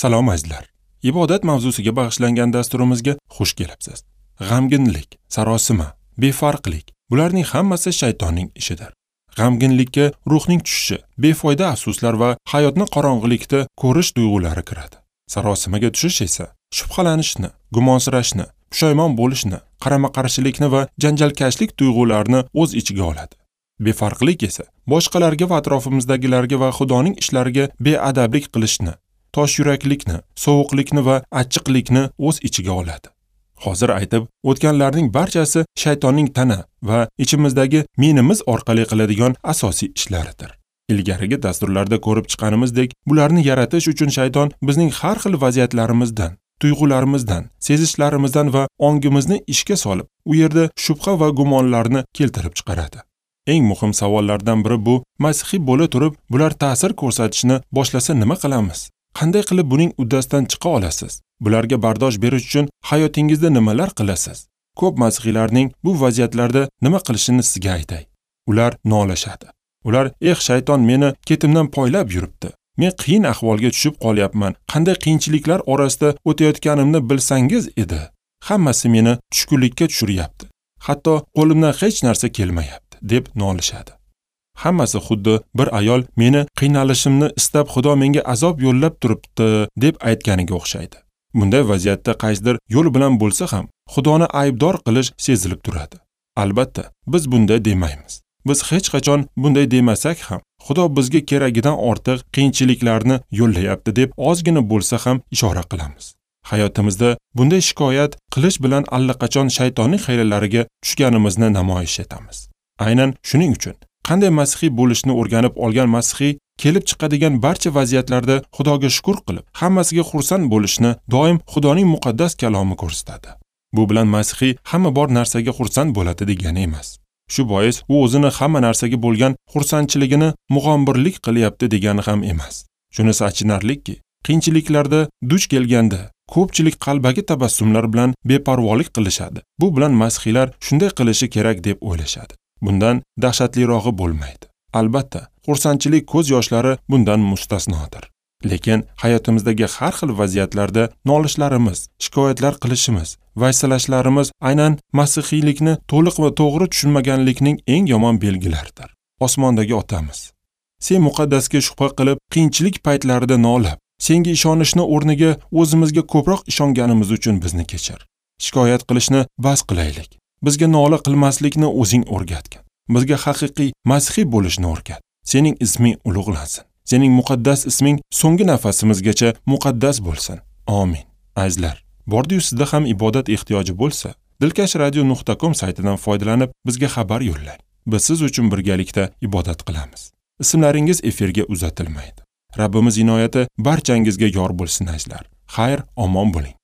Salom azizlar. Ibodat mavzusiga bag'ishlangan dasturimizga xush kelibsiz. G'amginlik, sarosima, befarqlik bularning hammasi shaytonning ishidir. G'amginlikka ruhning tushishi, befoyda afsuslar va hayotni qorong'ilikda ko'rish tuyg'ulari kiradi. Sarosimaga tushish esa shubhalanishni, gumonsirashni, pushaymon bo'lishni, qarama-qarshilikni va janjalkashlik tuyg'ularini o'z ichiga oladi. Befarqlik esa boshqalarga va atrofimizdagilarga va Xudoning ishlariga beadablik qilishni, tosh yuraklikni, sovuqlikni va achchiqlikni o'z ichiga oladi. Hozir aytib o'tganlarning barchasi shaytonning tana va ichimizdagi menimiz orqali qiladigan asosiy ishlaridir. Ilgarigi dasturlarda ko'rib chiqqanimizdek, bularni yaratish uchun shayton bizning har xil vaziyatlarimizdan, tuyg'ularimizdan, sezishlarimizdan va ongimizni ishga solib, u yerda shubha va gumonlarni keltirib chiqaradi. Eng muhim savollardan biri bu: masihiy bo'la turib, bular ta'sir ko'rsatishni boshlasa nima qilamiz? Qanday qilib buning uddasidan chiqa olasiz? Bularga bardosh berish uchun hayotingizda nimalar qilasiz? Ko'p masihiylarning bu vaziyatlarda nima qilishini sizga aytay. Ular nolashadi. Ular: "Eh, shayton meni ketimdan poylab yuribdi. Men qiyin ahvolga tushib qolyapman. Qanday qiyinchiliklar orasida o'tayotganimni bilsangiz edi. Hammasi meni tushkunlikka tushiryapti. Hatto qo'limdan hech narsa kelmayapti", deb nolishadi. Hammasi xuddi bir ayol meni qiynalishimni istab Xudo menga azob yo'llab turibdi deb aytganiga o'xshaydi. Bunday vaziyatda qaysidir yo'l bilan bo'lsa ham Xudoni aybdor qilish sezilib turadi. Albatta, biz bunday demaymiz. Biz hech qachon bunday demasak ham Xudo bizga keragidan ortiq qiyinchiliklarni yo'llayapti deb ozgina bo'lsa ham ishora qilamiz. Hayotimizda bunday shikoyat qilish bilan allaqachon shaytonning hiylalariga tushganimizni namoyish etamiz. Aynan shuning uchun qanday masihiy bo'lishni o'rganib olgan masihiy kelib chiqadigan barcha vaziyatlarda Xudoga shukr qilib, hammasiga xursand bo'lishni doim Xudoning muqaddas kalomi ko'rsatadi. Bu bilan masihiy hamma bor narsaga xursand bo'ladi degani emas. Shu bois u o'zini hamma narsaga bo'lgan xursandchiligini mug'ombirlik qilyapti degani ham emas. Shunisi achinarliki, qiyinchiliklarda duch kelganda ko'pchilik qalbaki tabassumlar bilan beparvolik qilishadi. Bu bilan masihiylar shunday qilishi kerak deb o'ylashadi. Bundan dahshatlirog'i bo'lmaydi. Albatta, xursandchilik ko'z yoshlari bundan mustasnodir. Lekin hayotimizdagi har xil vaziyatlarda nolishlarimiz, shikoyatlar qilishimiz, vaysalashlarimiz aynan masihiylikni to'liq va to'g'ri tushunmaganlikning eng yomon belgilaridir. Osmondagi otamiz, sen muqaddasga shubha qilib, qiyinchilik paytlarida nolab, senga ishonishni o'rniga o'zimizga ko'proq ishonganimiz uchun bizni kechir. Shikoyat qilishni bas qilaylik. Bizga nola qilmaslikni o'zing o'rgatgin. Bizga haqiqiy masihiy bo'lishni o'rgat. Sening isming ulug'lansin. Sening muqaddas isming so'nggi nafasimizgacha muqaddas bo'lsin. Amin. Azizlar, bordi-yu sizda ham ibodat ehtiyoji bo'lsa, dilkashradio.com saytidan foydalanib bizga xabar yo'llang. Biz siz uchun birgalikda ibodat qilamiz. Ismlaringiz efirga uzatilmaydi. Rabbimiz inoyati barchangizga yor bo'lsin azizlar. Xayr, omon bo'ling.